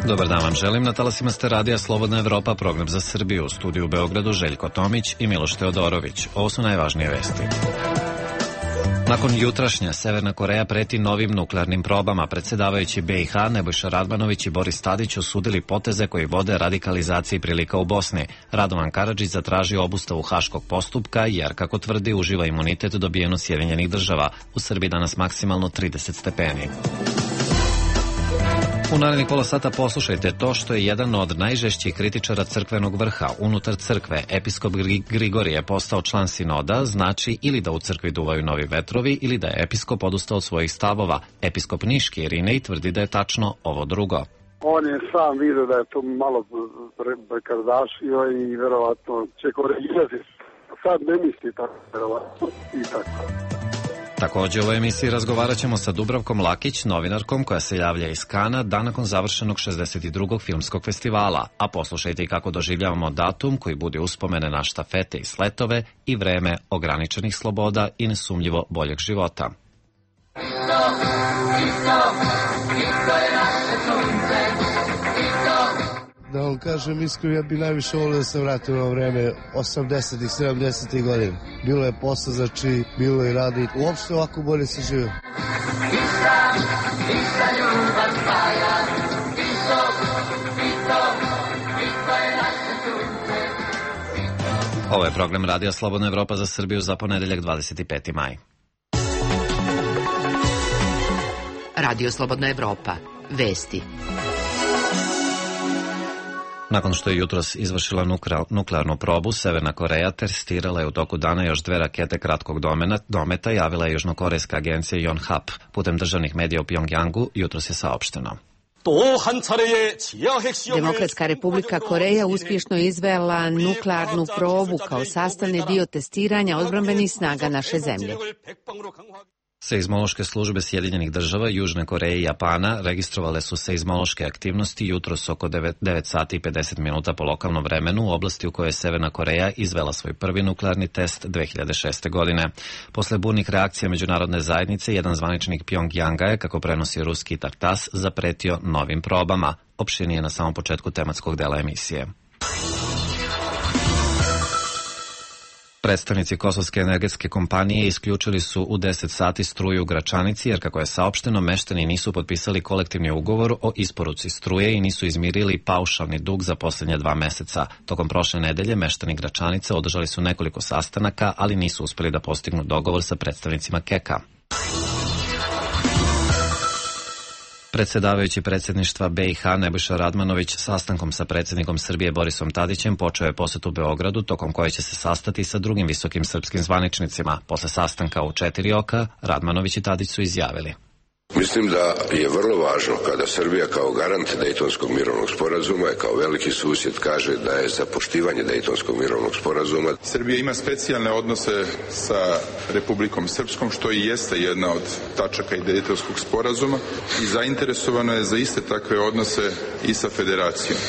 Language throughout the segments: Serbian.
Dobar dan vam želim. Na talasima ste radija Slobodna Evropa, program za Srbiju. U studiju u Beogradu Željko Tomić i Miloš Teodorović. Ovo su najvažnije vesti. Nakon jutrašnje, Severna Koreja preti novim nuklearnim probama. Predsjedavajući BiH Nebojša Radmanović i Boris Tadić osudili poteze koji vode radikalizaciji prilika u Bosni. Radovan Karadžić zatražio obustavu haškog postupka jer, kako tvrdi, uživa imunitet dobijen od Sjedinjenih Država. U Srbiji danas maksimalno 30 stepeni. U narednih pola sata poslušajte to što je jedan od najžešćih kritičara crkvenog vrha unutar crkve, episkop Grigorije, postao član sinoda, znači ili da u crkvi duvaju novi vetrovi ili da je episkop odustao od svojih stavova. Episkop Niški Irinej tvrdi da je tačno ovo drugo. On je sam vidio da je to malo prekardašio i verovatno će korigirati. Sad ne misli tako, verovatno i tako. Također u ovoj emisiji razgovarat ćemo sa Dubravkom Lakić, novinarkom koja se javlja iz Kana dan nakon završenog 62. filmskog festivala. A poslušajte i kako doživljavamo datum koji budi uspomene na štafete i sletove i vreme ograničenih sloboda i nesumnjivo boljeg života. Da vam kažem iskreno, ja bih najviše volio da se vratim na vreme 80-ih, 70-ih godina. Bilo je posla, znači bilo je radi. Uopšte ovako bolje se žive. Ovo je program Radija Slobodna Evropa za Srbiju za ponedeljak 25. maj. Radio Slobodna Evropa. Vesti. Nakon što je jutros izvršila nuklearnu probu, Severna Koreja testirala je u toku dana još 2 rakete kratkog dometa, javila je južnokorejska agencija Yonhap. Putem državnih medija u Pjongjangu jutros je saopšteno. Demokratska republika Koreja uspješno izvela nuklearnu probu kao sastavni dio testiranja odbrambenih snaga naše zemlje. Seizmološke službe Sjedinjenih Država, Južne Koreje i Japana registrovale su seizmološke aktivnosti jutros oko 9 sati i 50 minuta po lokalnom vremenu u oblasti u kojoj je Severna Koreja izvela svoj prvi nuklearni test 2006. godine. Posle burnih reakcija međunarodne zajednice, jedan zvaničnik Pjongjanga je, kako prenosi ruski Tartas, zapretio novim probama. Opširnije na samom početku tematskog dela emisije. Predstavnici Kosovske energetske kompanije isključili su u 10 sati struju u Gračanici jer, kako je saopšteno, meštani nisu potpisali kolektivni ugovor o isporuci struje i nisu izmirili paušalni dug za posljednje 2 meseca. Tokom prošle nedelje meštani Gračanice održali su nekoliko sastanaka, ali nisu uspjeli da postignu dogovor sa predstavnicima KEK-a. Predsjedavajući predsjedništva BiH Nebojša Radmanović sastankom sa predsjednikom Srbije Borisom Tadićem počeo je posjetu Beogradu, tokom koje će se sastati sa drugim visokim srpskim zvaničnicima. Posle sastanka u 4 oka, Radmanović i Tadić su izjavili: Mislim da je vrlo važno kada Srbija kao garant Dejtonskog mirovnog sporazuma i kao veliki susjed kaže da je za poštivanje Dejtonskog mirovnog sporazuma. Srbija ima specijalne odnose sa Republikom Srpskom, što i jeste jedna od tačaka i Dejtonskog sporazuma, i zainteresovano je za iste takve odnose i sa Federacijom.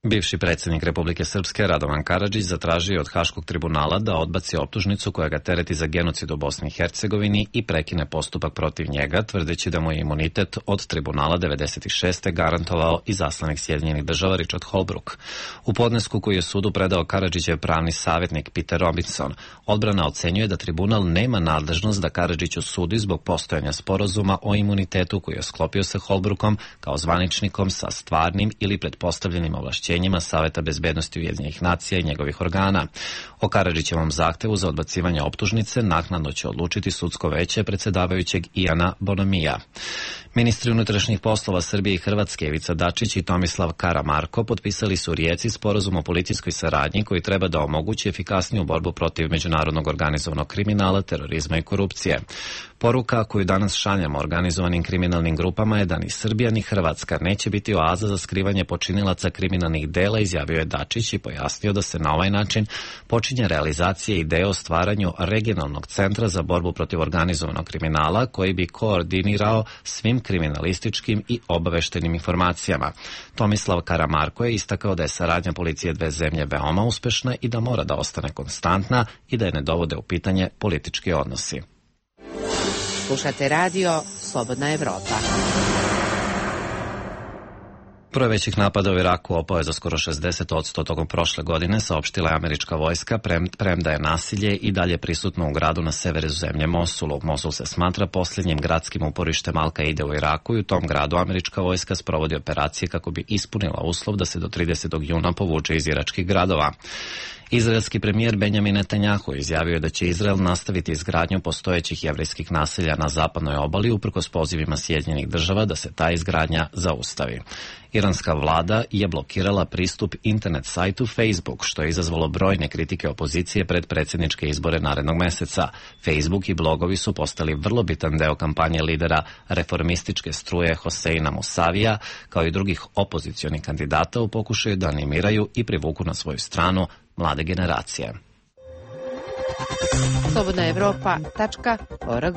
Bivši predsjednik Republike Srpske Radovan Karadžić zatražio od Haškog tribunala da odbaci optužnicu koja ga tereti za genocid u Bosni i Hercegovini i prekine postupak protiv njega, tvrdeći da mu je imunitet od tribunala 96. garantovao i zaslanik Sjedinjenih Država Richard Holbrooke. U podnesku koji je sudu predao Karadžićev pravni savjetnik Peter Robinson, odbrana ocenjuje da tribunal nema nadležnost da Karadžiću sudi zbog postojanja sporazuma o imunitetu koji je sklopio sa Holbrookom kao zvaničnikom sa stvarnim ili pretpostavljenim ovlašćenjima Saveta bezbednosti Ujedinjenih nacija i njegovih organa. O Karadžićevom zahtevu za odbacivanje optužnice naknadno će odlučiti sudsko veće predsjedavajućeg Ijana Bonamija. Ministri unutrašnjih poslova Srbije i Hrvatske Ivica Dačić i Tomislav Karamarko potpisali su u Rijeci sporazum o policijskoj saradnji koji treba da omogući efikasniju borbu protiv međunarodnog organizovanog kriminala, terorizma i korupcije. Poruka koju danas šaljemo organizovanim kriminalnim grupama je da ni Srbija ni Hrvatska neće biti oaza za skrivanje počinilaca kriminalnih dela, izjavio je Dačić i pojasnio da se na ovaj način počinje realizacija ideje o stvaranju regionalnog centra za borbu protiv organizovanog kriminala koji bi koordinirao svim kriminalističkim i obaveštenim informacijama. Tomislav Karamarko je istakao da je saradnja policije dve zemlje veoma uspešna i da mora da ostane konstantna i da je ne dovode u pitanje politički odnosi. Slušate radio Slobodna Evropa. Broj većih napada u Iraku opao je za skoro 60% tokom prošle godine, saopštila je američka vojska, premda je nasilje i dalje prisutno u gradu na severu zemlje Mosulu. Mosul se smatra posljednjim gradskim uporištem Al-Kaide u Iraku i u tom gradu američka vojska sprovodi operacije kako bi ispunila uslov da se do 30. juna povuče iz iračkih gradova. Izraelski premijer Benjamin Netanjahu izjavio je da će Izrael nastaviti izgradnju postojećih jevrejskih naselja na zapadnoj obali uprkos pozivima Sjedinjenih država da se ta izgradnja zaustavi. Iranska vlada je blokirala pristup internet sajtu Facebook, što je izazvalo brojne kritike opozicije pred predsjedničke izbore narednog meseca. Facebook i blogovi su postali vrlo bitan deo kampanje lidera reformističke struje Hoseina Musavija, kao i drugih opozicionih kandidata u pokušaju da animiraju i privuku na svoju stranu mlade generacije. slobodnaevropa.org.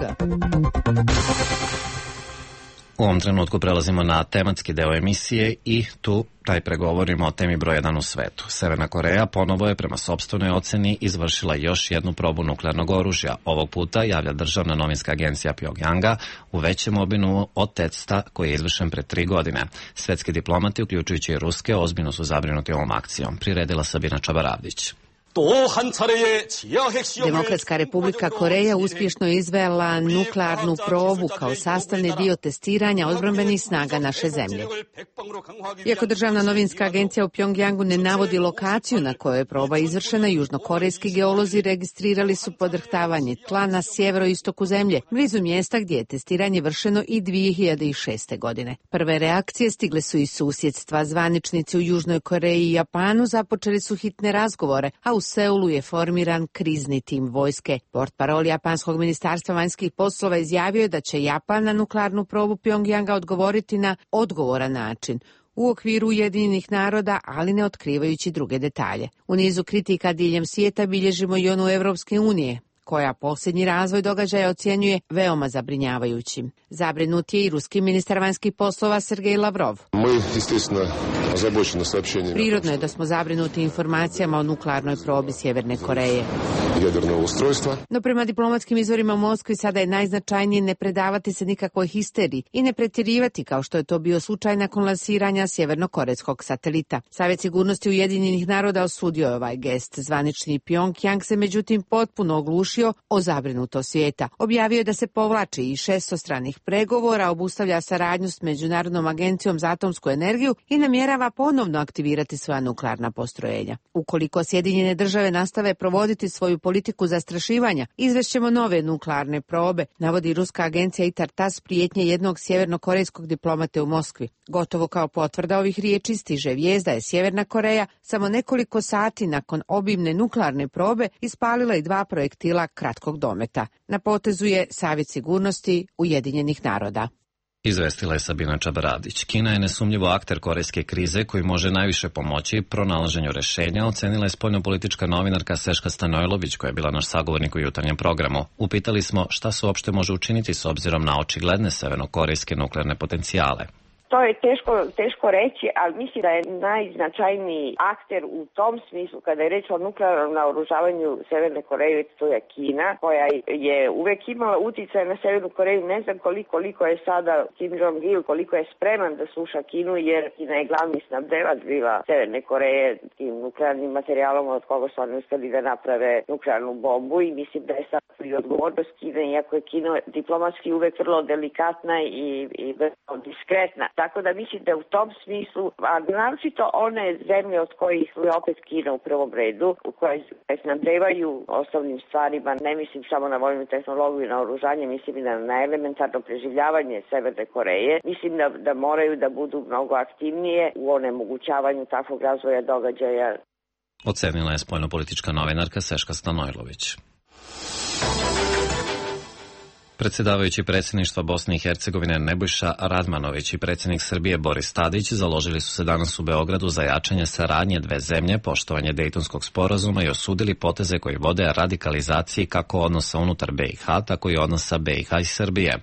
U ovom trenutku prelazimo na tematski deo emisije i tu najpre govorimo o temi broj 1 u svetu. Severna Koreja ponovo je prema sopstvenoj oceni izvršila još jednu probu nuklearnog oružja. Ovog puta, javlja državna novinska agencija Pjongjanga, u većem obimu od testa koji je izvršen pre 3 godine. Svetski diplomati, uključujući i ruske, ozbiljno su zabrinuti ovom akcijom. Priredila Sabina Čabaravdić. Demokratska republika Koreja uspješno izvela nuklearnu probu kao sastavni dio testiranja odbrambenih snaga naše zemlje. Iako državna novinska agencija u Pjongjangu ne navodi lokaciju na kojoj je proba izvršena, južnokorejski geolozi registrirali su podrhtavanje tla na sjeveroistoku zemlje, blizu mjesta gdje je testiranje vršeno i 2006. godine. Prve reakcije stigle su iz susjedstva. Zvaničnici u Južnoj Koreji i Japanu započeli su hitne razgovore, a u Seulu je formiran krizni tim vojske. Portparol japanskog ministarstva vanjskih poslova izjavio je da će Japan na nuklearnu probu Pjongjanga odgovoriti na odgovoran način u okviru Ujedinjenih naroda, ali ne otkrivajući druge detalje. U nizu kritika diljem svijeta bilježimo i onu Evropske unije, koja posljednji razvoj događaja ocjenjuje veoma zabrinjavajućim. Zabrinut je i ruski ministar vanjskih poslova Sergej Lavrov. Prirodno je da smo zabrinuti informacijama o nuklearnoj probi Sjeverne Koreje. No prema diplomatskim izvorima u Moskvi sada je najznačajnije ne predavati se nikakvoj histeriji i ne pretjerivati kao što je to bio slučaj nakon lansiranja sjevernokorejskog satelita. Savjet sigurnosti Ujedinjenih naroda osudio je ovaj gest. Zvanični Pjongjang se međutim potpuno oglušio o zabrinutost svijeta. Objavio je da se povlači iz 600 stranih pregovora, obustavlja saradnju s Međunarodnom agencijom za atomsku energiju i namjerava ponovno aktivirati svoja nuklearna postrojenja. Ukoliko Sjedinjene države nastave provoditi svoju politiku zastrašivanja, izvešćemo nove nuklearne probe, navodi ruska agencija ITAR-TASS prijetnje jednog sjevernokorejskog diplomate u Moskvi. Gotovo kao potvrda ovih riječi stiže vijest da je Sjeverna Koreja samo nekoliko sati nakon obimne nuklearne probe ispalila i 2 projektila kratkog dometa. Na potezu je Savjet sigurnosti Ujedinjenih naroda. Izvestila je Sabina Čabaravdić. Kina je nesumnjivo akter korejske krize koji može najviše pomoći pronalaženju rešenja, ocenila je spoljnopolitička novinarka Seška Stanojlović, koja je bila naš sagovornik u jutarnjem programu. Upitali smo šta se uopšte može učiniti s obzirom na očigledne severnokorejske nuklearne potencijale. To je teško reći, ali mislim da je najznačajniji akter u tom smislu kada je reč o nuklearnom naoružavanju Severne Koreje, to je Kina, koja je uvek imala utjecaj na Severnu Koreju. Ne znam koliko je sada Kim Jong-il, koliko je spreman da sluša Kinu, jer Kina je glavni snabdevač bila Severne Koreje tim nuklearnim materijalom od koga su oni uspeli da naprave nuklearnu bombu, i mislim da je sad i odgovornost Kine, iako je Kina diplomatski uvek vrlo delikatna i vrlo diskretna. Tako da mislim da u tom smislu, a naročito one zemlje od kojih je opet Kina u prvom redu, u koje snabdevaju osnovnim stvarima, ne mislim samo na vojnu tehnologiju i na oružanje, mislim i na elementarno preživljavanje Severne Koreje, mislim da moraju da budu mnogo aktivnije u onemogućavanju takvog razvoja događaja. Ocenila je spoljnopolitička novinarka Seška Stanojlović. Predsjedavajući predsjedništva Bosne i Hercegovine Nebojša Radmanović i predsjednik Srbije Boris Tadić založili su se danas u Beogradu za jačanje saradnje dve zemlje, poštovanje Dejtonskog sporazuma i osudili poteze koji vode radikalizaciji kako odnosa unutar BiH, tako i odnosa BiH i Srbije.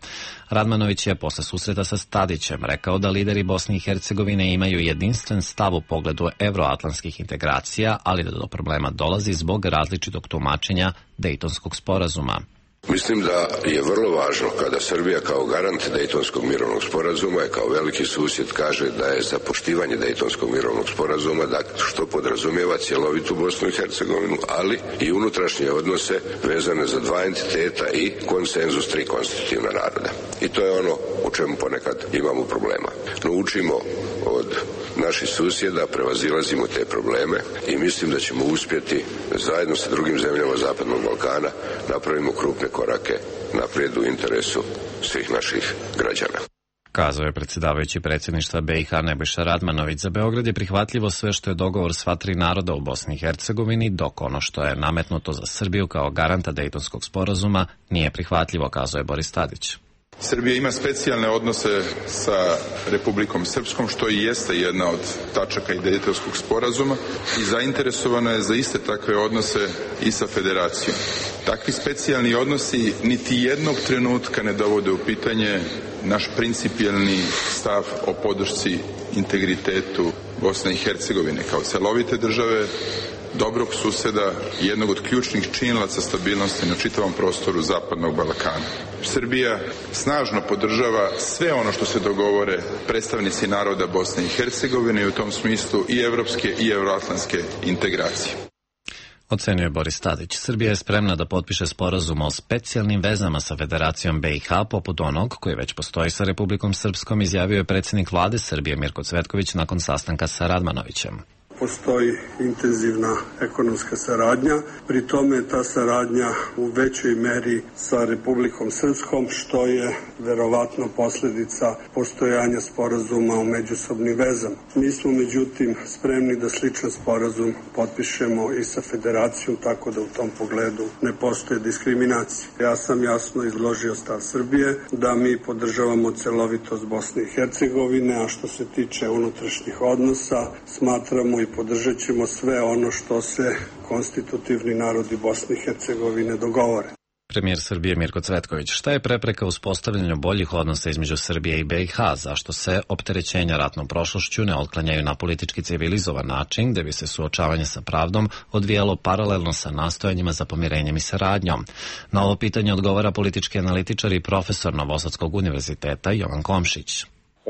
Radmanović je posle susreta sa Tadićem rekao da lideri Bosne i Hercegovine imaju jedinstven stav u pogledu evroatlantskih integracija, ali da do problema dolazi zbog različitog tumačenja Dejtonskog sporazuma. Mislim da je vrlo važno kada Srbija kao garant Dejtonskog mirovnog sporazuma i kao veliki susjed kaže da je za poštivanje Dejtonskog mirovnog sporazuma, što podrazumijeva cjelovitu Bosnu i Hercegovinu, ali i unutrašnje odnose vezane za dva entiteta i konsenzus tri konstitutivna naroda. I to je ono u čemu ponekad imamo problema. No učimo od naših susjeda, prevazilazimo te probleme i mislim da ćemo uspjeti zajedno sa drugim zemljama Zapadnog Balkana napravimo krupne korake naprijed u interesu svih naših građana. Kazao je predsjedavajući predsjedništva BiH Nebojša Radmanović. Za Beograd je prihvatljivo sve što je dogovor sva tri naroda u Bosni i Hercegovini, dok ono što je nametnuto za Srbiju kao garanta Dejtonskog sporazuma nije prihvatljivo, kazao je Boris Tadić. Srbija ima specijalne odnose sa Republikom Srpskom, što i jeste jedna od tačaka i Dejtonskog sporazuma i zainteresovana je za iste takve odnose i sa Federacijom. Takvi specijalni odnosi niti jednog trenutka ne dovode u pitanje naš principijelni stav o podršci integritetu Bosne i Hercegovine kao celovite države, dobrog suseda i jednog od ključnih činilaca stabilnosti na čitavom prostoru Zapadnog Balkana. Srbija snažno podržava sve ono što se dogovore predstavnici naroda Bosne i Hercegovine i u tom smislu i evropske i euroatlantske integracije. Ocenio je Boris Tadić. Srbija je spremna da potpiše sporazum o specijalnim vezama sa Federacijom BiH, poput onog koji već postoji sa Republikom Srpskom, izjavio je predsjednik vlade Srbije Mirko Cvetković nakon sastanka sa Radmanovićem. Postoji intenzivna ekonomska saradnja, pri tome ta saradnja u većoj meri sa Republikom Srpskom, što je verovatno posljedica postojanja sporazuma o međusobnim vezama. Mi smo međutim spremni da sličan sporazum potpišemo i sa Federacijom, tako da u tom pogledu ne postoje diskriminacije. Ja sam jasno izložio stav Srbije da mi podržavamo celovitost Bosne i Hercegovine, a što se tiče unutrašnjih odnosa, smatramo i podržat ćemo sve ono što se konstitutivni narodi Bosne i Hercegovine dogovore. Premijer Srbije Mirko Cvetković. Šta je prepreka uspostavljanju boljih odnosa između Srbije i BiH? Zašto se opterećenja ratnom prošlošću ne otklanjaju na politički civilizovan način, gde bi se suočavanje sa pravdom odvijalo paralelno sa nastojanjima za pomirenjem i saradnjom? Na ovo pitanje odgovara politički analitičar i profesor Novosadskog univerziteta Jovan Komšić.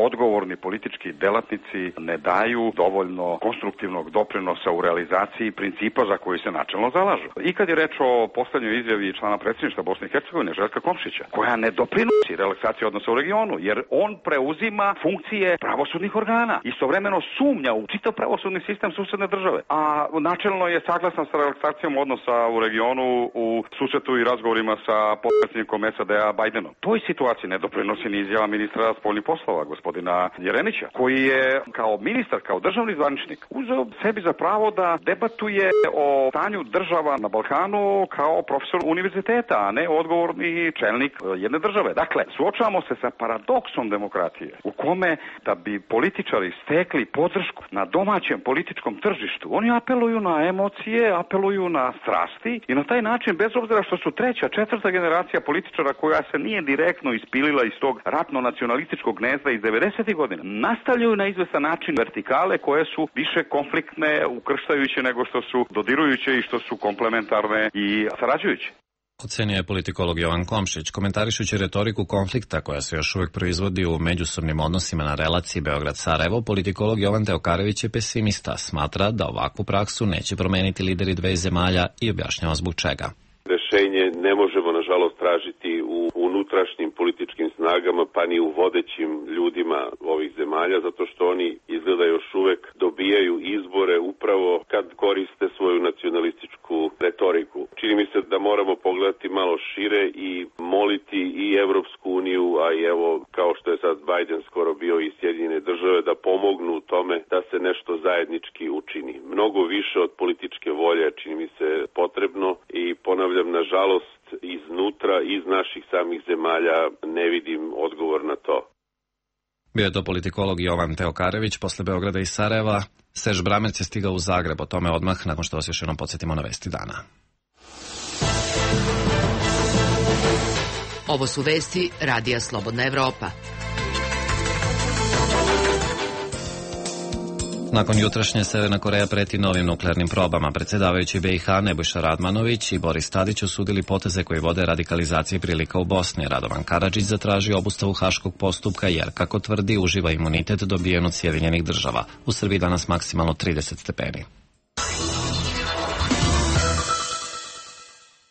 Odgovorni politički delatnici ne daju dovoljno konstruktivnog doprinosa u realizaciji principa za koji se načelno zalažu. I kad je reč o postavljanju izjavi člana predsjedništva Bosne i Hercegovine, Željka Komšića, koja ne doprinosi relaksaciji odnosa u regionu, jer on preuzima funkcije pravosudnih organa. Istovremeno sumnja u čitav pravosudni sistem susedne države. A načelno je saglasan sa relaksacijom odnosa u regionu u susretu i razgovorima sa potpredsjednikom SAD-a Bajdenom. Toj situaciji ne doprinosi ni izjava ministra spoljnih poslova, gospodina Jeremića, koji je kao ministar, kao državni zvaničnik uzeo sebi za pravo da debatuje o stanju država na Balkanu kao profesor univerziteta, a ne odgovorni čelnik jedne države. Dakle, suočavamo se sa paradoksom demokratije u kome da bi političari stekli podršku na domaćem političkom tržištu, oni apeluju na emocije, apeluju na strasti i na taj način, bez obzira što su treća, četvrta generacija političara koja se nije direktno ispilila iz tog ratno-nacionalističkog gnezda iz 90. godina, nastavljaju na izvestan način vertikale koje su više konfliktne, ukrštajuće nego što su dodirujuće i što su komplementarne i sarađujuće. Ocenio je politikolog Jovan Komšić, komentarišući retoriku konflikta koja se još uvijek proizvodi u međusobnim odnosima na relaciji Beograd-Sarajevo. Politikolog Jovan Teokarević je pesimista, smatra da ovakvu praksu neće promeniti lideri dve zemalja i objašnjava zbog čega. Rešenje ne možemo, nažalost, tražiti u unutrašnjim političkim snagama, pa ni u vodećim ljudima ovih zemalja, zato što oni izgleda još uvek dobijaju izbore upravo kad koriste svoju nacionalističku retoriku. Čini mi se da moramo pogledati malo šire i moliti i Evropsku uniju, a i evo, kao što je sad Biden skoro bio i Sjedinjene države, da pomognu u tome da se nešto zajednički učini. Mnogo više od političke volje čini mi se potrebno i ponavljam, nažalost, iznutra, iz naših samih zemalja ne vidim odgovor na to. Bio je to politikolog Jovan Teokarević. Posle Beograda i Sarajeva, Serž Bramerc je stigao u Zagreb. O tome odmah, nakon što vas još jednom podsjetimo na vesti dana. Ovo su vesti Radija Slobodna Evropa. Nakon jutrašnje Severna Koreja preti novim nuklearnim probama. Predsjedavajući BiH Nebojša Radmanović i Boris Tadić osudili poteze koji vode radikalizaciji prilika u Bosni. Radovan Karadžić zatražio obustavu haškog postupka jer, kako tvrdi, uživa imunitet dobijen od Sjedinjenih Država. U Srbiji danas maksimalno 30 stepeni.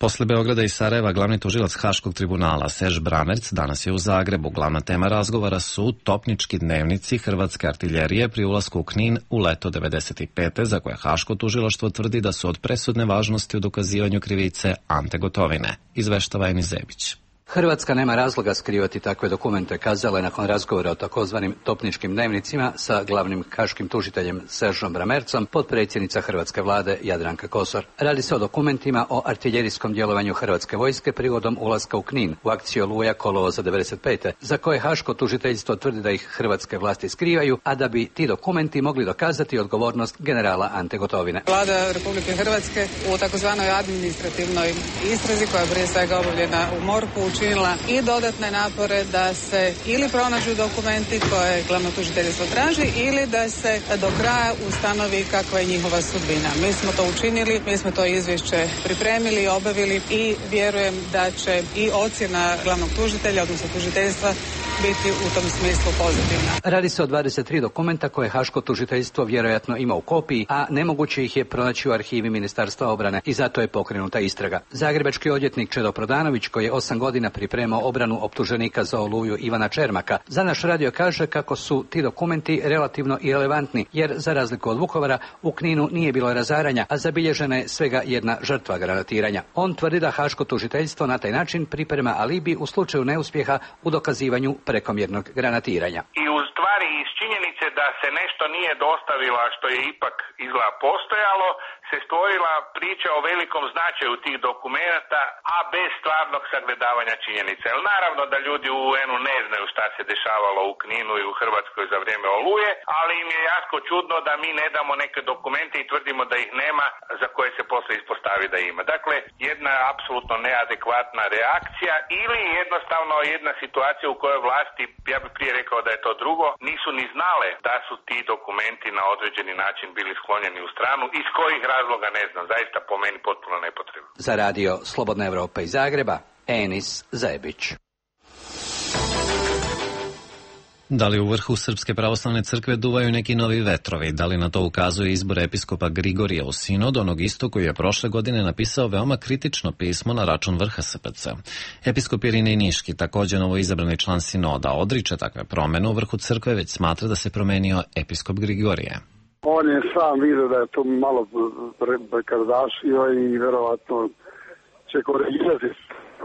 Posle Beograda i Sarajeva, glavni tužilac Haškog tribunala Serž Bramerc danas je u Zagrebu. Glavna tema razgovora su topnički dnevnici hrvatske artiljerije pri ulasku u Knin u leto 95. za koje Haško tužilaštvo tvrdi da su od presudne važnosti u dokazivanju krivice Ante Gotovine. Izveštava Enis Zebić. Hrvatska nema razloga skrivati takve dokumente, kazala je nakon razgovora o takozvanim topničkim dnevnicima sa glavnim haškim tužiteljem Seržom Bramercom, potpredsjednica hrvatske vlade Jadranka Kosor. Radi se o dokumentima o artiljerijskom djelovanju hrvatske vojske prigodom ulaska u Knin u akciju Oluja kolovoza 95. za koje haško tužiteljstvo tvrdi da ih hrvatske vlasti skrivaju, a da bi ti dokumenti mogli dokazati odgovornost generala Ante Gotovine. Vlada Republike Hrvatske u takozvanoj administrativnoj istrazi koja je prije svega obavljena u MORH-u učinila i dodatne napore da se ili pronađu dokumenti koje glavno tužiteljstvo traži ili da se do kraja ustanovi kakva je njihova sudbina. Mi smo to učinili, mi smo to izvješće pripremili, obavili i vjerujem da će i ocjena glavnog tužitelja, odnosno tužiteljstva, biti u tom smislu pozitivna. Radi se o 23 dokumenta koje haško tužiteljstvo vjerojatno ima u kopiji, a nemoguće ih je pronaći u arhivi Ministarstva obrane i zato je pokrenuta istraga. Zagrebački odvjetnik Čedo Prodanović, koji je 8 godina pripremao obranu optuženika za Oluju Ivana Čermaka, za naš radio kaže kako su ti dokumenti relativno irelevantni, jer za razliku od Vukovara u Kninu nije bilo razaranja, a zabilježena je svega jedna žrtva granatiranja. On tvrdi da haško tužiteljstvo na taj način priprema alibi u slučaju neuspjeha u dokazivanju prekomjernog granatiranja. I u stvari iz činjenice da se nešto nije dostavilo, a što je ipak izgleda postojalo, se stvorila priča o velikom značaju tih dokumenata, a bez stvarnog sagledavanja činjenica. Jer naravno da ljudi u UN-u ne znaju šta se dešavalo u Kninu i u Hrvatskoj za vrijeme Oluje, ali im je jako čudno da mi ne damo neke dokumente i tvrdimo da ih nema, za koje se poslije ispostavi da ima. Dakle, jedna apsolutno neadekvatna reakcija ili jednostavno jedna situacija u kojoj vlasti, ja bih prije rekao da je to drugo, nisu ni znale da su ti dokumenti na određeni način bili sklonjeni u stranu, iz kojih razloga ne znam, zaista po meni potpuno nepotrebno. Za radio Slobodna Evropa iz Zagreba, Enis Zebić. Da li u vrhu Srpske pravoslavne crkve duvaju neki novi vetrovi? Da li na to ukazuje izbor episkopa Grigorija u sinod, onog isto koji je prošle godine napisao veoma kritično pismo na račun vrha SPC? Episkop Irinej Niški, također novoizabrani član sinoda, odriče takve promene u vrhu crkve, već smatra da se promenio episkop Grigorije. On je sam vidio da je to malo prekardašio i verovatno će korigirati.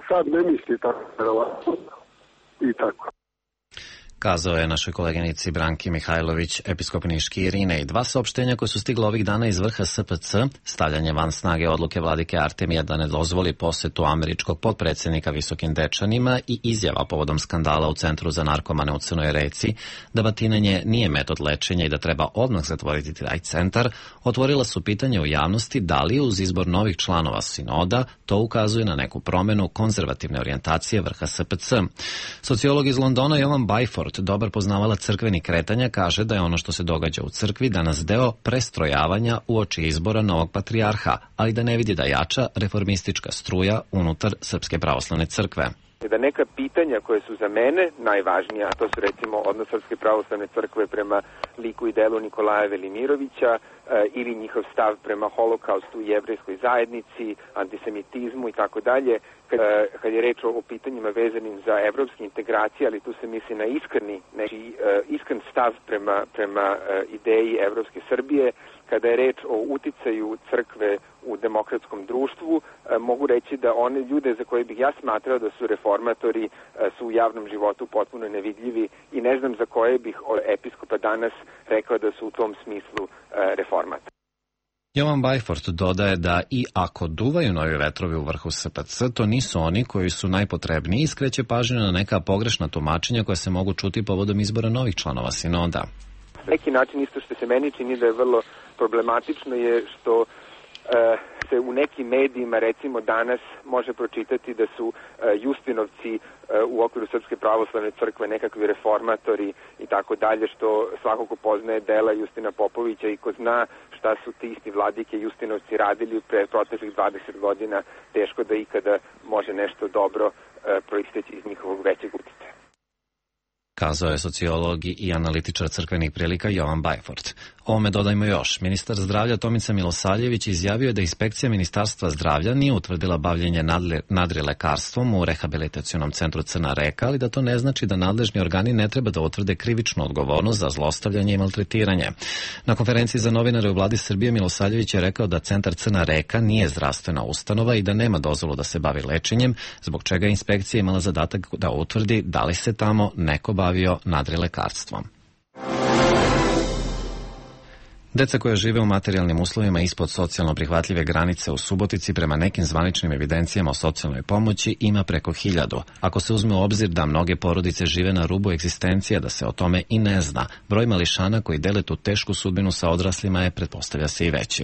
Sad ne misli tako, verovatno. I tako. Kazao je našoj koleginici Branki Mihajlović, episkop Niški Irinej. Dva saopštenja koje su stigla ovih dana iz vrha SPC, stavljanje van snage odluke vladike Artemija da ne dozvoli posetu američkog potpredsjednika Visokim Dečanima i izjava povodom skandala u Centru za narkomane u Crnoj Reci, da batinanje nije metod lečenja i da treba odmah zatvoriti taj centar, otvorila su pitanje u javnosti da li uz izbor novih članova sinoda to ukazuje na neku promenu konzervativne orijentacije vrha SPC. Sociolog iz Londona Jovan Byford, dobar poznavalac crkvenih kretanja, kaže da je ono što se događa u crkvi danas deo prestrojavanja uoči izbora novog patrijarha, ali da ne vidi da jača reformistička struja unutar Srpske pravoslavne crkve. Da neka pitanja koje su za mene najvažnija, to su recimo odnos Srpske pravoslavne crkve prema liku i delu Nikolaja Velimirovića ili njihov stav prema holokaustu i jevrejskoj zajednici, antisemitizmu i tako dalje, kad je reč o pitanjima vezanim za evropske integracije, ali tu se misli na iskren stav prema ideji evropske Srbije. Kada je reč o uticaju crkve u demokratskom društvu, mogu reći da one ljude za koje bih ja smatrao da su reformatori su u javnom životu potpuno nevidljivi i ne znam za koje bih od episkopa danas rekao da su u tom smislu reformatori. Jovan Byford dodaje da i ako duvaju novi vetrovi u vrhu SPC, to nisu oni koji su najpotrebniji i skreće pažnju na neka pogrešna tumačenja koja se mogu čuti povodom izbora novih članova sinoda. Neki način isto što se meni čini da je vrlo problematično je što se u nekim medijima recimo danas može pročitati da su Justinovci u okviru Srpske pravoslavne crkve nekakvi reformatori i tako dalje, što svako ko poznaje dela Justina Popovića i ko zna šta su ti isti vladike Justinovci radili pre proteklih 20 godina, teško da ikada može nešto dobro proisteći iz njihovog većeg uticaja. Kazao je sociolog i analitičar crkvenih prilika Jovan Bajfort. Ovome dodajmo još. Ministar zdravlja Tomica Milosavljević izjavio je da inspekcija Ministarstva zdravlja nije utvrdila bavljenje nadrilekarstvom u rehabilitacionom centru Crna Reka, ali da to ne znači da nadležni organi ne treba da utvrde krivičnu odgovornost za zlostavljanje i maltretiranje. Na konferenciji za novinare u Vladi Srbije Milosavljević je rekao da centar Crna Reka nije zdravstvena ustanova i da nema dozvolu da se bavi lečenjem, zbog čega je inspekcija imala zadatak da utvrdi da li se tamo neko bavio nadrilekarstvom. Deca koja žive u materijalnim uslovima ispod socijalno prihvatljive granice u Subotici prema nekim zvaničnim evidencijama o socijalnoj pomoći ima preko 1000. Ako se uzme u obzir da mnoge porodice žive na rubu egzistencije, da se o tome i ne zna, broj mališana koji dele tu tešku sudbinu sa odraslima je, pretpostavlja se, i veći.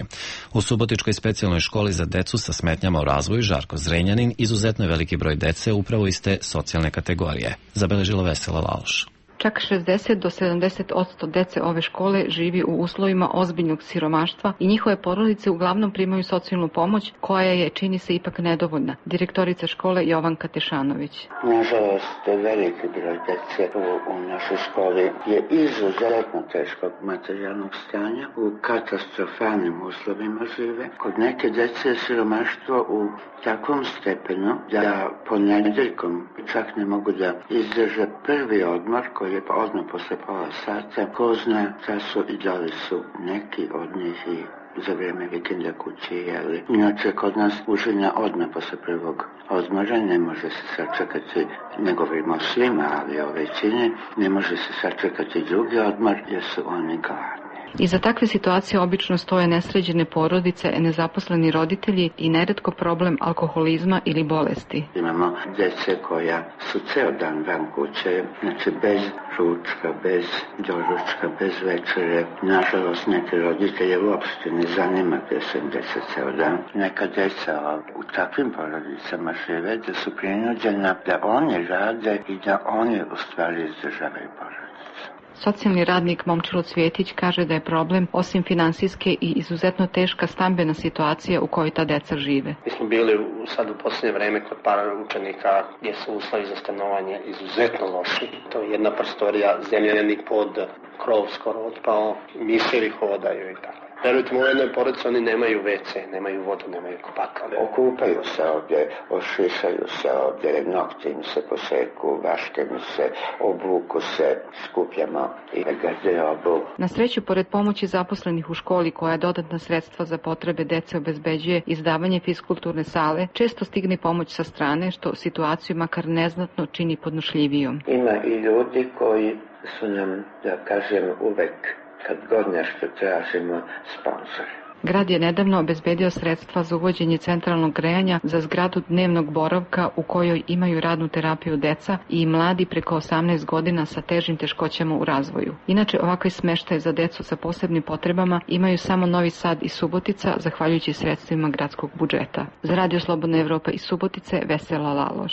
U Subotičkoj specijalnoj školi za decu sa smetnjama u razvoju Žarko Zrenjanin izuzetno je veliki broj dece upravo iz te socijalne kategorije, zabeležila Vesela Laloš. Čak 60 do 70% dece ove škole živi u uslovima ozbiljnog siromaštva i njihove porodice uglavnom primaju socijalnu pomoć koja je, čini se, ipak nedovoljna. Direktorica škole Jovanka Tešanović. Nažalost, veliki broj dece u našoj školi je izuzetno teškog materijalnog stanja, u katastrofalnim uslovima žive. Kod neke dece je siromaštvo u takvom stepenu da ponedeljkom čak ne mogu da izdrže prvi odmor koji je odmah posle pola sata. Ko zna šta su i da li su neki od njih i za vreme vikenda kući jeli. Inače, kod nas užina odmah posle prvog odmora ne može se sačekati, ne govorimo o svima, ali o većini, ne može se sačekati drugi odmor jer su oni gladni. Iza takve situacije obično stoje nesređene porodice, nezaposleni roditelji i neretko problem alkoholizma ili bolesti. Imamo djece koja su ceo dan van kuće, znači bez ručka, bez doručka, bez večere. Nažalost, neke roditelje uopšte ne zanima gde su im deca ceo dan. Neka deca u takvim porodicama žive da su prinuđena da oni rade i da oni u stvari izdržavaju porodicu. Socijalni radnik Momčilo Cvjetić kaže da je problem, osim finansijske i izuzetno teška stambena situacija u kojoj ta deca žive. Mi smo bili sad u posljednje vreme kod par učenika gdje su uslovi za stanovanje izuzetno loši. To je jedna prostorija, zemljani pod, krov skoro otpao, miševi hodaju i tako. Verujte, u jednoj porodici oni nemaju WC, nemaju vodu, nemaju kupatla. Okupaju se ovdje, ošišaju se ovdje, nokti im se poseku, vaške mi se, obuku se, skupljamo i garderobu. Na sreću, pored pomoći zaposlenih u školi koja dodatna sredstva za potrebe dece obezbeđuje izdavanje fiskulturne sale, često stigne pomoć sa strane, što situaciju makar neznatno čini podnošljivijom. Ima i ljudi koji su nam, da kažem, uvek kad god nešto tražimo, sponsor. Grad je nedavno obezbedio sredstva za uvođenje centralnog grejanja za zgradu dnevnog boravka u kojoj imaju radnu terapiju deca i mladi preko 18 godina sa težim teškoćama u razvoju. Inače, ovakve smeštaje za decu sa posebnim potrebama imaju samo Novi Sad i Subotica, zahvaljujući sredstvima gradskog budžeta. Za Radio Slobodna Evropa iz Subotice, Vesela Laloš.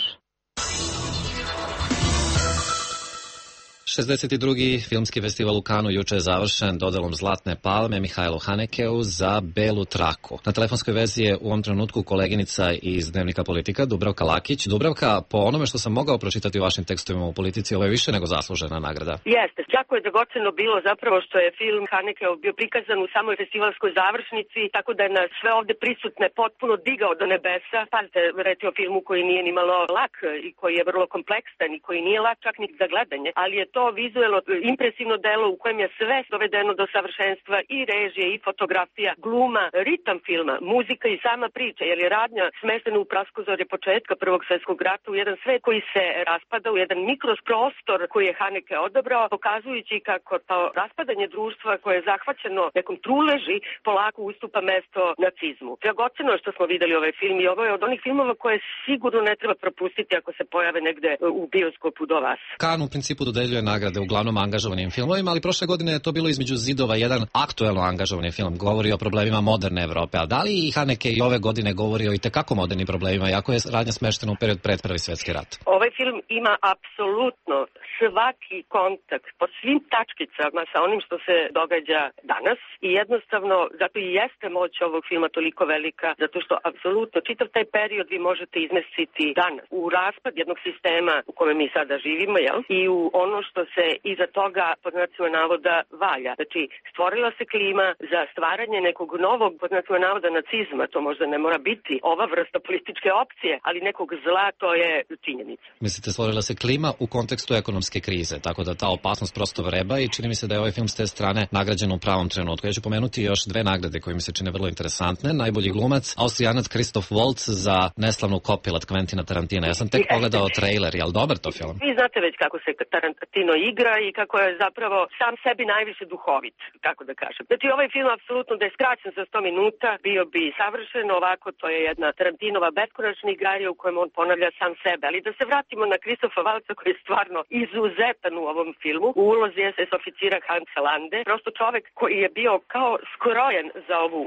62. filmski festival u Kanu juče je završen dodelom Zlatne palme Mihajlu Hanekeu za Belu traku. Na telefonskoj vezi je u ovom trenutku koleginica iz Dnevnika Politika Dubravka Lakić. Dubravka, po onome što sam mogao pročitati u vašim tekstovima u Politici, ovo je više nego zaslužena nagrada. Jeste, jako je dragoceno bilo zapravo što je film Hanekeu bio prikazan u samoj festivalskoj završnici, tako da je na sve ovde prisutne potpuno digao do nebesa. Pazite, reći o filmu koji nije ni malo lak i koji je vrlo kompleksan i koji nije lak čak ni za gledanje, ali je to vizuelno impresivno delo u kojem je sve dovedeno do savršenstva, i režije, i fotografija, gluma, ritam filma, muzika i sama priča, jer je radnja smeštena u praskozorje početka Prvog svjetskog rata u jedan svet koji se raspada, u jedan mikroprostor koji je Haneke odabrao, pokazujući kako to raspadanje društva koje je zahvaćeno nekom truleži polako ustupa mesto nacizmu. Dragoceno je što smo videli ovaj film i ovo je od onih filmova koje sigurno ne treba propustiti ako se pojave negde u bioskopu do vas. Kan u principu dodeljuje nagrade uglavnom angažovanim filmovima, ali prošle godine je to bilo Između zidova jedan aktuelno angažovani film, govori o problemima moderne Evrope. A da li i Haneke i ove godine govori o itekako modernim problemima, iako je radnja smeštena u period pred Prvi svjetski rat? Ovaj film ima apsolutno svaki kontakt po svim tačkicama sa onim što se događa danas i jednostavno zato i jeste moć ovog filma toliko velika, zato što apsolutno čitav taj period vi možete izmestiti danas u raspad jednog sistema u kome mi sada živimo, jel? I u ono što se iza toga pod znacima navoda valja. Znači, stvorila se klima za stvaranje nekog novog pod znacima navoda nacizma, to možda ne mora biti ova vrsta političke opcije, ali nekog zla, to je činjenica. Mislite, stvorila se klima u kontekstu ekonomske krize, tako da ta opasnost prosto vreba i čini mi se da je ovaj film s te strane nagrađen u pravom trenutku. Ja ću pomenuti još dve nagrade koje mi se čine vrlo interesantne. Najbolji glumac, Austrijanac Christoph Waltz za neslavnu Kopilat Quentina Tarantina. Ja sam tek pogledao trailer, je li dobar to film? Vi znate već kako se Tarantino igra i kako je zapravo sam sebi najviše duhovit, kako da kažem. Znači ovaj film apsolutno da je skraćen za 100 minuta, bio bi savršen, ovako to je jedna Tarantinova beskonačna igarija u kojem on ponavlja sam sebe. Ali da se vratimo na Christopha Waltza koji je stvarno izuzetan u ovom filmu. U ulozi SS oficira Hansa Lande, prosto čovek koji je bio kao skrojen za ovu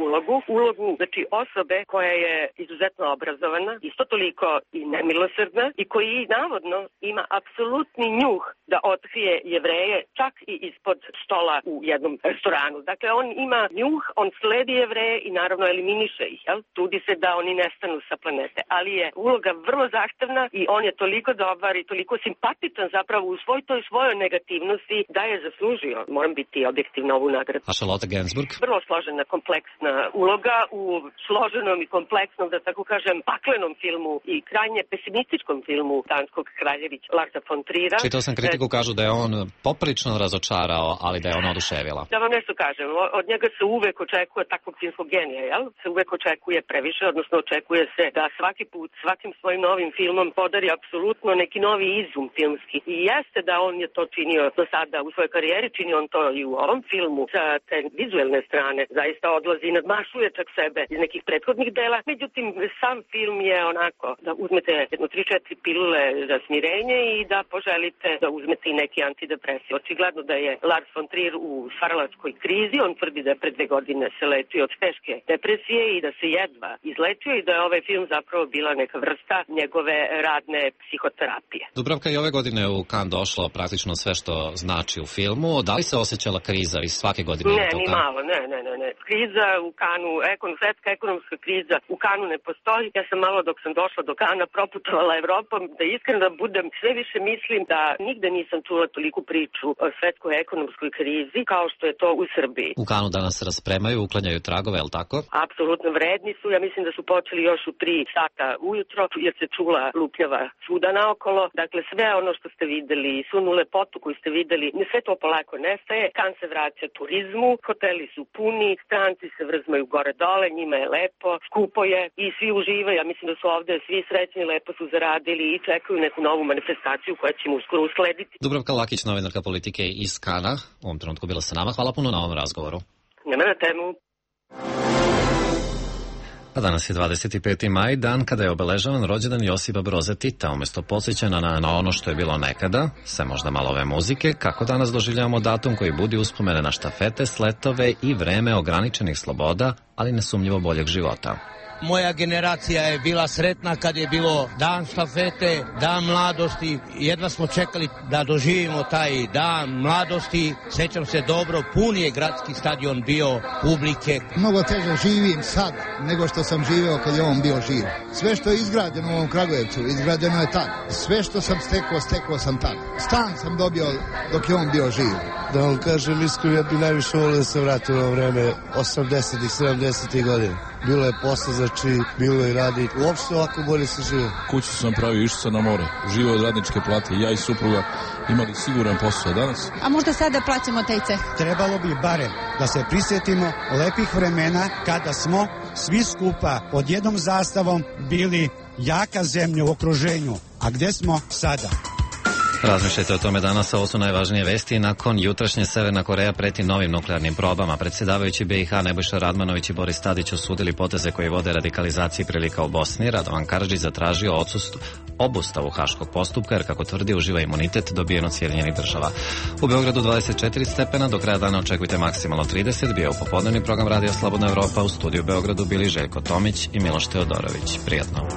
ulogu, znači osobe koja je izuzetno obrazovana, isto toliko i nemilosrdna i koji navodno ima apsolutni njuh da otkrije Jevreje čak i ispod stola u jednom restoranu. Dakle, on ima njuh, on sledi Jevreje i naravno eliminiše ih, jel? Trudi se da oni nestanu sa planete, ali je uloga vrlo zahtevna i on je toliko dobar i toliko simpatičan zapravo u toj svojoj negativnosti da je zaslužio, moram biti objektivna, ovu nagradu. A Charlotte Gainsbourg? Vrlo složena, kompleksna uloga u složenom i kompleksnom, da tako kažem, paklenom filmu i krajnje pesimističkom filmu danskog kraljevića Larsa von Trier'a. Čitao sam kritiku, kažu da je on poprično razočarao, ali da je ona oduševila. Da vam nešto kažem, od njega se uvek očekuje takvog filmskog genija, jel? Se uvek očekuje previše, odnosno očekuje se da svaki put, svakim svojim novim filmom podari apsolutno neki novi izum filmski. I jeste da on je to činio do sada u svojoj karijeri, čini on to i u ovom filmu sa te vizuelne strane. Zaista odlazi i nadmašuje čak sebe iz nekih prethodnih dela. Međutim, sam film je onako da uzmete jedno 3-4 pilule za smirenje i da poželite da uzmete i neki antidepresiv. Očigledno da je Lars von Trier u stvaralačkoj krizi. On tvrdi da je pre 2 godine se lečio od teške depresije i da se jedva izlečio i da je ovaj film zapravo bila neka vrsta njegove radne psihoterapije. Dubravka, i ove godine u Cannes došlo praktično sve što znači u filmu. Da li se osjećala kriza iz svake godine? Ne, ni malo, ne. Kriza u Cannesu, svetska ekonomska kriza u Cannesu ne postoji. Ja sam malo dok sam došla do Cannes proputovala Evropom, da iskreno budem, sve više mislim da nigde nisam čula toliku priču o svetskoj ekonomskoj krizi kao što je to u Srbiji. U Cannesu danas raspremaju, uklanjaju tragove, je li tako? Apsolutno vredni su. Ja mislim da su počeli još u 3 sata ujutro, jer se čula lupljava svuda naokolo. Dakle, sve ono što ste videli, svu onu lepotu koju ste videli, sve to polako nestaje. Cannes se vraća turizmu, hoteli su puni, stranci se vrzmaju gore dole, njima je lepo, skupo je i svi uživaju. Ja mislim da su ovde svi srećni, lepo su zaradili i čekaju neku novu manifestaciju koja će mu uskoro uslediti. Dubravka Lakić, novinarka politike iz Canesa, u ovom trenutku bila sa nama. Hvala puno na ovom razgovoru. Nema na temu. A danas je 25. maj, dan kada je obeležavan rođendan Josipa Broza Tita. Umjesto podsjećanja na ono što je bilo nekada, sve možda malo ove muzike, kako danas doživljavamo datum koji budi uspomene na štafete, sletove i vreme ograničenih sloboda, ali nesumnjivo boljeg života. Moja generacija je bila sretna kad je bilo dan štafete, dan mladosti. Jedva smo čekali da doživimo taj dan mladosti. Sećam se dobro, pun je gradski stadion bio publike. Mnogo teže živim sad nego što sam živeo kad je on bio živ. Sve što je izgrađeno u ovom Kragujevcu, izgrađeno je tad. Sve što sam stekao sam tad. Stan sam dobio dok je on bio živ. Da vam kažem iskreno, ja bi najviše volio da se vratim u vreme 80-ih, 70-ih godina. Bilo je posla, znači bilo je radi. Uopšte ovako bolje se žive. Kuću sam pravio, išao sam na more. Živio od radničke plate. Ja i supruga imali siguran posao danas. A možda sada plaćamo taj ceh? Trebalo bi barem da se prisjetimo lepih vremena kada smo svi skupa pod jednom zastavom bili jaka zemlja u okruženju. A gde smo sada? Razmišljajte o tome danas, ovo su najvažnije vesti. Nakon jutrašnje Severna Koreja preti novim nuklearnim probama. Predsjedavajući BiH Nebojša Radmanović i Boris Tadić osudili poteze koji vode radikalizaciji prilika u Bosni. Radovan Karadžić zatražio obustavu haškog postupka, jer kako tvrdi uživa imunitet dobijen od Sjedinjenih Država. U Beogradu 24 stepena, do kraja dana očekujte maksimalno 30. Bio u popodnevni program Radija Slobodna Evropa. U studiju u Beogradu bili Željko Tomić i Miloš Teodorović. Prijatno.